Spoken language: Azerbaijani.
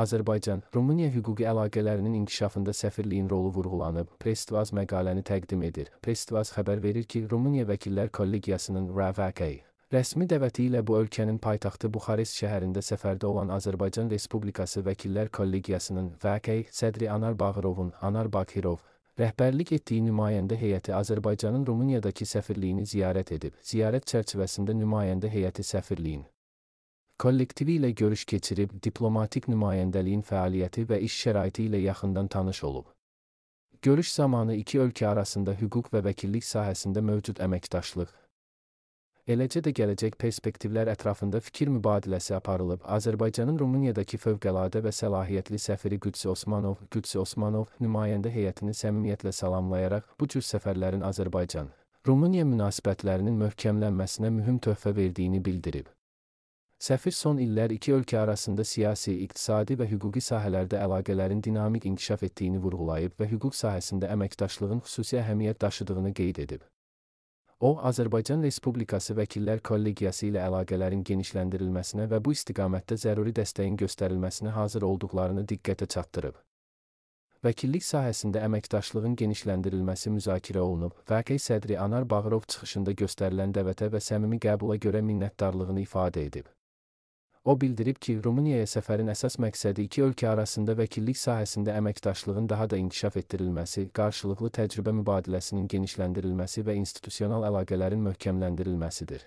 Azərbaycan-Rumıniya hüquqi əlaqələrinin inkişafında səfirliyin rolu vurğulanıb, Press-TV məqaləni təqdim edir. Press-TV xəbər verir ki, Rumıniya Vəkillər Kollegiyasının RVK rəsmi dəvəti ilə bu ölkənin paytaxtı Buxarest şəhərində səfərdə olan Azərbaycan Respublikası Vəkillər Kollegiyasının VK sədri Anar Bağırov rəhbərlik etdiyi nümayəndə heyəti Azərbaycanın Rumuniyadakı səfirliyini ziyarət edib. Ziyarət çərçivəsində nümayəndə heyəti səfirliyin kollektivi ilə görüş keçirib, diplomatik nümayəndəliyin fəaliyyəti və iş şəraiti ilə yaxından tanış olub. Görüş zamanı iki ölkə arasında hüquq və vəkillik sahəsində mövcud əməkdaşlıq, eləcə də gələcək perspektivlər ətrafında fikir mübadiləsi aparılıb. Azərbaycanın Rumuniyadakı fövqəladə və səlahiyyətli səfiri Qüdsi Osmanov nümayəndə heyətini səmimiyyətlə salamlayaraq bu cür səfərlərin Azərbaycan-Rumıniya münasibətlərinin möhkəmlənməsinə mühüm töhfə verdiyini bildirib. Səfir son illər iki ölkə arasında siyasi, iqtisadi və hüquqi sahələrdə əlaqələrin dinamik inkişaf etdiyini vurğulayıb və hüquq sahəsində əməkdaşlığın xüsusi əhəmiyyət daşıdığını qeyd edib. O, Azərbaycan Respublikası Vəkillər Kollegiyası ilə əlaqələrin genişləndirilməsinə və bu istiqamətdə zəruri dəstəyin göstərilməsinə hazır olduqlarını diqqətə çatdırıb. Vəkillik sahəsində əməkdaşlığın genişləndirilməsi müzakirə olunub. VK sədri Anar Bağırov çıxışında göstərilən dəvətə və səmimi qəbula görə minnətdarlığını ifadə edib. O bildirib ki, Rumuniyaya səfərin əsas məqsədi iki ölkə arasında vəkillik sahəsində əməkdaşlığın daha da inkişaf etdirilməsi, qarşılıqlı təcrübə mübadiləsinin genişləndirilməsi və institusional əlaqələrin möhkəmləndirilməsidir.